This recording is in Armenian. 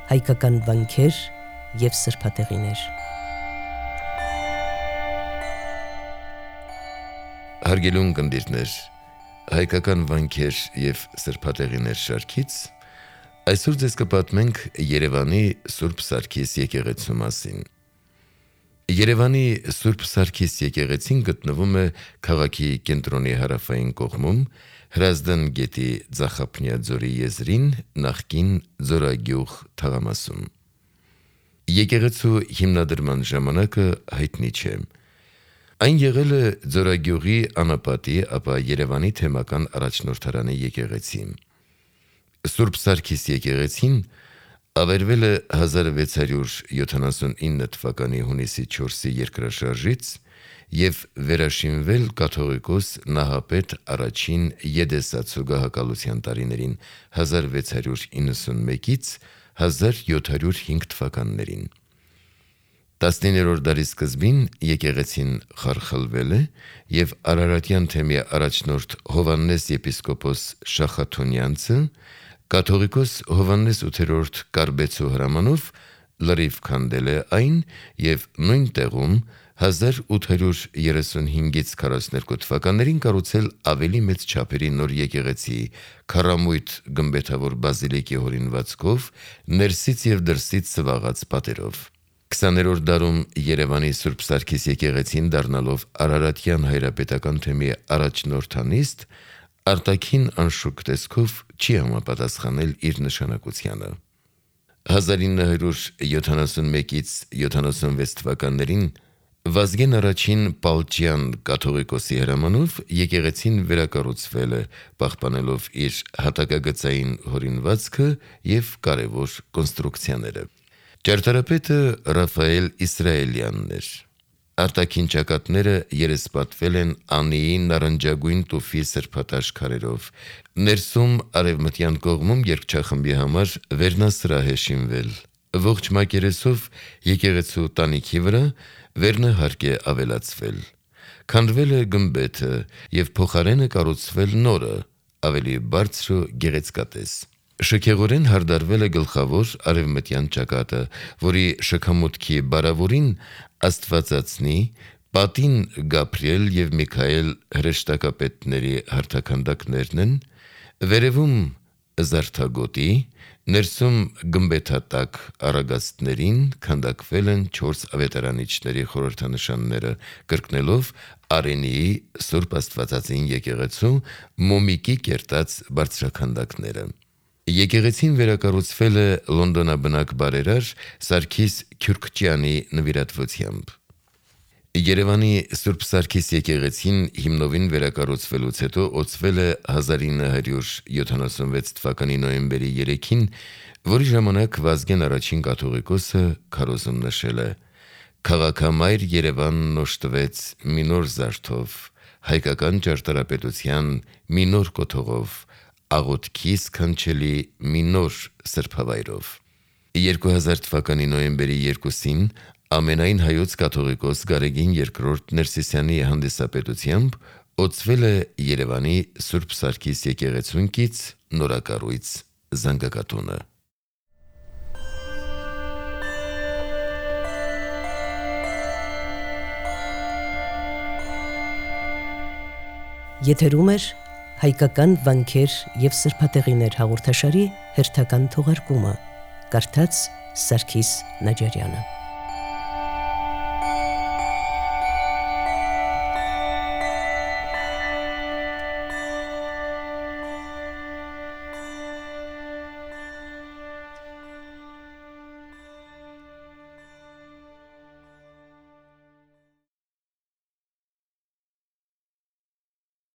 հայկական վանքեր և սրբատեղիներ։ Հարգելուն կնդիրներ, հայկական վանքեր և սրբատեղիներ շարքից այսօր ձեզ կպատմենք Երևանի Սուրբ Սարգիս եկեղեցու մասին։ Երևանի Սուրբ Սարգիս եկեղեցին գտնվում է քաղաքի կենտրոնի հարավային կողմում, Հրազդան գետի Ձախապնյա ձորի եզրին, նախկին Ձորագյուղ թաղամասում։ Եկեղեցու հիմնադրման ժամանակը հայտնի չէ։ Այն եղել է Ձորագյուղի անապատի, ապա Երևանի թեմական առաջնորդարանի եկեղեցի։ Սուրբ Սարգիս եկեղեցին ավերվել է 1679 թվականի հունիսի 4-ի երկրաշարժից և վերաշինվել կաթողիկոս Նահապետ առաջին Եդեսացու գահակալության տարիներին 1691-ից 1705 թվականներին։ 19-րդ դարի սկզբին եկեղեցին խարխլվել է և Արարատյան թեմի առաջնորդ Հովհաննես եպիսկոպոս Շախաթոնյանցը կաթողիկոս Հովհաննես ութերորդ Կարբեցու հրամանով լրիվ քանդել է այն և նույն տեղում 1835-ից 42 թվականներին կառուցել ավելի մեծ չափերի նոր եկեղեցի քառամույթ գմբեթավոր բազիլիկի հորինվածքով, ներսից և դրսից սվաղած պատերով։ 20-րդ դարում Երևանի Սուրբ Սարգիս եկեղեցին դառնալով Արարատյան հայրապետական թեմի առաջնորդանիստ, արտաքին անշուք տեսքով չի համապատասխանել իր նշանակությանը։ 1971-ից 76 թվականներին Վազգեն առաջին Պալճյան կաթողիկոսի հրամանով եկեղեցին վերակառուցվել է, պահպանելով իր հատակագծային հորինվածքը և կարևոր կոնստրուկցիաները։ Ճարտարապետը Ռաֆայել Իսրայելյանն էր։ Արտաքին ճակատները երեսպատվել են անիի նարնջագույն տուֆի սրբատաշ քարերով։ Ներսում արևմտյան կողմում երգչախմբի համար վերնասրահ է շինվել։ Ողջ մակերեսով եկեղեցու տանիքի վրա վերնահարկ է ավելացվել։ Քանդվել է գմբեթը և փոխարենը կառուցվել նորը, ավելի բարձր ու գեղեցկատես։ Շքեղորեն հարդարվել է գլխավոր արևմտյան ճակատը, որի շքամուտքի բարավորին Աստվածածնի, պատին Գաբրիել և Միքայել հրեշտակապետների հարթաքանդակներն են, վերևում զարդագոտի, ներսում գմբեթատակ առագաստներին քանդակվել են 4 ավետարանիչների խորհրդանշանները, կրկնելով Արենիի Սուրբ Աստվածածին եկեղեցու մոմիկի կերտած բարձրաքանդակները։ Եկեղեցին վերակառուցվել է լոնդոնաբնակ բարերար Սարգիս Քյուրքչյանի նվիրատվությամբ։ Երևանի Սուրբ Սարգիս եկեղեցին հիմնովին վերակառուցվելուց հետո օծվել է 1976 թվականի նոյեմբերի 3-ին, որի ժամանակ Վազգեն առաջին կաթողիկոսը քարոզում նշել է. «Քաղաքամայր Երևանն օժտվեց մի նոր զարդով, հայկական ճարտարապետության մի նոր կոթողով, աղոթքի սքանչելի մի նոր սրբավայրով»։ 2000 թվականի նոյեմբերի 2-ին ամենայն հայոց կաթողիկոս Գարեգին II Ներսիսյանի հանդիսապետությամբ օծվել է Երևանի Սուրբ Սարգիս եկեղեցունքից նորակառույց զանգակատունը։ Եթերում էր հայկական վանքեր և սրբատեղիներ հաղորդաշարի հերթական թողարկումը, կարդաց Սարգիս Նաջարյանը։